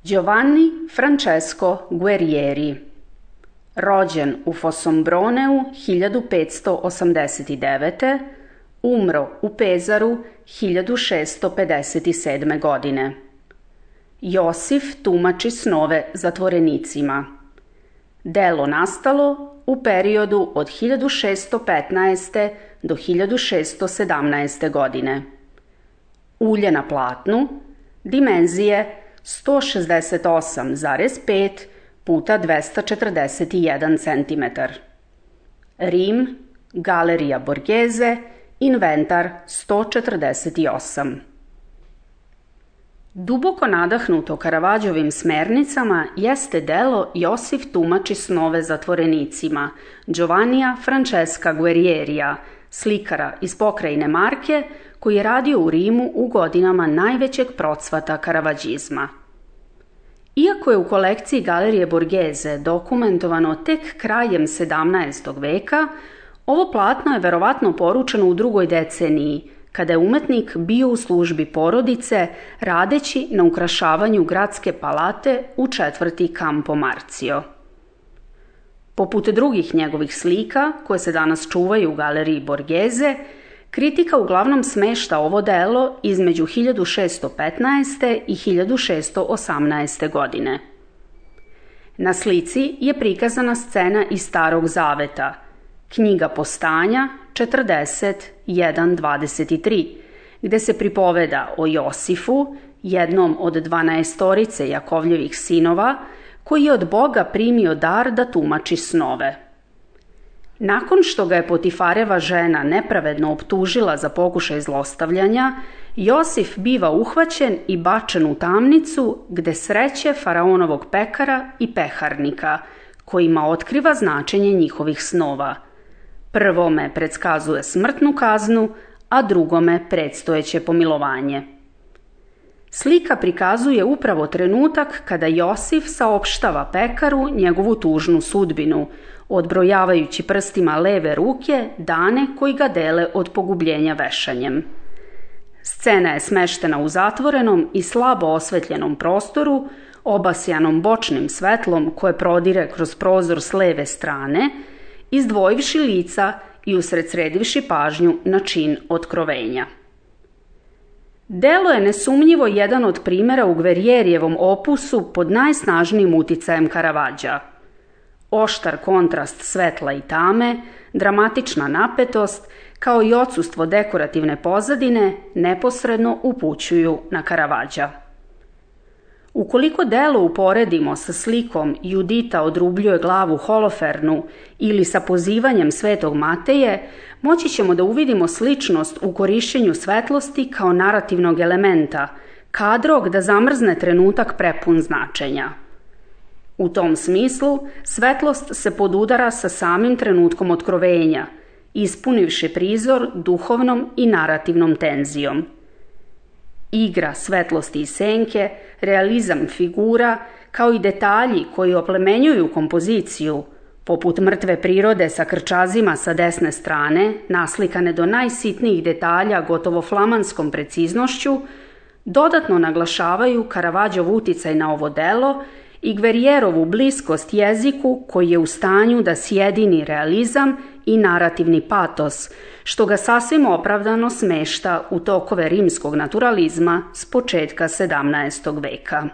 Giovanni Francesco Guerrieri, rođen u Fossombrone 1589. Umro u Pezaru 1657. godine. Josif tumači snove zatvorenicima. Delo nastalo u periodu od 1615. do 1617. godine. Ulje na platnu, dimenzije 168,5 puta 241 cm. Rim, Galerija Borghese, inventar 148. Duboko nadahnuto Caravaggioovim smernicama jeste delo Josif tumači snove zatvorenicima Giovannija Francesca Guerrierija, slikara iz pokrajine Marke, koji je radio u Rimu u godinama najvećeg procvata karavađizma. Iako je u kolekciji Galerije Borghese dokumentovano tek krajem 17. veka, ovo platno je verovatno poručeno u drugoj deceniji, kada je umetnik bio u službi porodice radeći na ukrašavanju gradske palate u četvrti Campo Marzio. Poput drugih njegovih slika, koje se danas čuvaju u Galeriji Borghese, kritika uglavnom smešta ovo delo između 1615. i 1618. godine. Na slici je prikazana scena iz Starog Zaveta, knjiga Postanja 41:23, gde se pripoveda o Josifu, jednom od 12 Jakovljevih sinova, koji je od Boga primio dar da tumači snove. Nakon što ga je Potifareva žena nepravedno optužila za pokušaj zlostavljanja, Josif biva uhvaćen i bačen u tamnicu gde sreće faraonovog pekara i peharnika, kojima otkriva značenje njihovih snova. Prvome predskazuje smrtnu kaznu, a drugome predstojeće pomilovanje. Slika prikazuje upravo trenutak kada Josif saopštava pekaru njegovu tužnu sudbinu, odbrojavajući prstima leve ruke dane koji ga dele od pogubljenja vešanjem. Scena je smeštena u zatvorenom i slabo osvetljenom prostoru, obasjanom bočnim svetlom koje prodire kroz prozor s leve strane, izdvojivši lica i usredsredivši pažnju na čin otkrovenja. Delo je nesumnjivo jedan od primera u Guerrierijevom opusu pod najsnažnijim uticajem Caravaggia. Oštar kontrast svetla i tame, dramatična napetost, kao i odsustvo dekorativne pozadine neposredno upućuju na Caravaggia. Ukoliko delo uporedimo sa slikom Judita odrubljuje glavu Holofernu ili sa pozivanjem Svetog Mateje, moći ćemo da uvidimo sličnost u korišćenju svetlosti kao narativnog elementa, kadrog da zamrzne trenutak prepun značenja. U tom smislu, svetlost se podudara sa samim trenutkom otkrovenja, ispunivši prizor duhovnom i narativnom tenzijom. Igra svetlosti i senke, realizam figura, kao i detalji koji oplemenjuju kompoziciju, poput mrtve prirode sa krčazima sa desne strane, naslikane do najsitnijih detalja gotovo flamanskom preciznošću, dodatno naglašavaju Caravaggioov uticaj na ovo delo i Guerrierovu bliskost jeziku koji je u stanju da sjedini realizam i narativni patos, što ga sasvim opravdano smešta u tokove rimskog naturalizma s početka 17. veka.